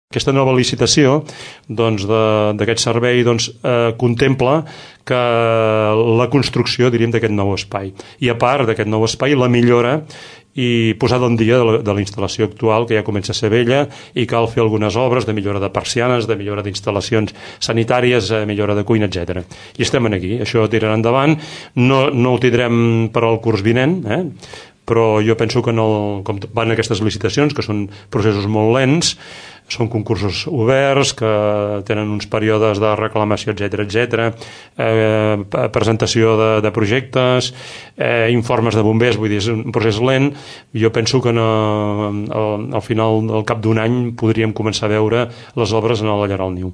Aquesta nova licitació d'aquest servei contempla que la construcció, diríem, d'aquest nou espai. I a part d'aquest nou espai, la millora i posada en dia de la instal·lació actual, que ja comença a ser vella, i cal fer algunes obres de millora de persianes, de millora d'instal·lacions sanitàries, millora de cuina, etc. I estem aquí, això tirarà endavant. No ho tindrem per al curs vinent, però jo penso que com van aquestes licitacions, que són processos molt lents, són concursos oberts, que tenen uns períodes de reclamació, etc., presentació de projectes, informes de bombers, vull dir, és un procés lent. Jo penso que al final, al cap d'un any, podríem començar a veure les obres en la llar al niu.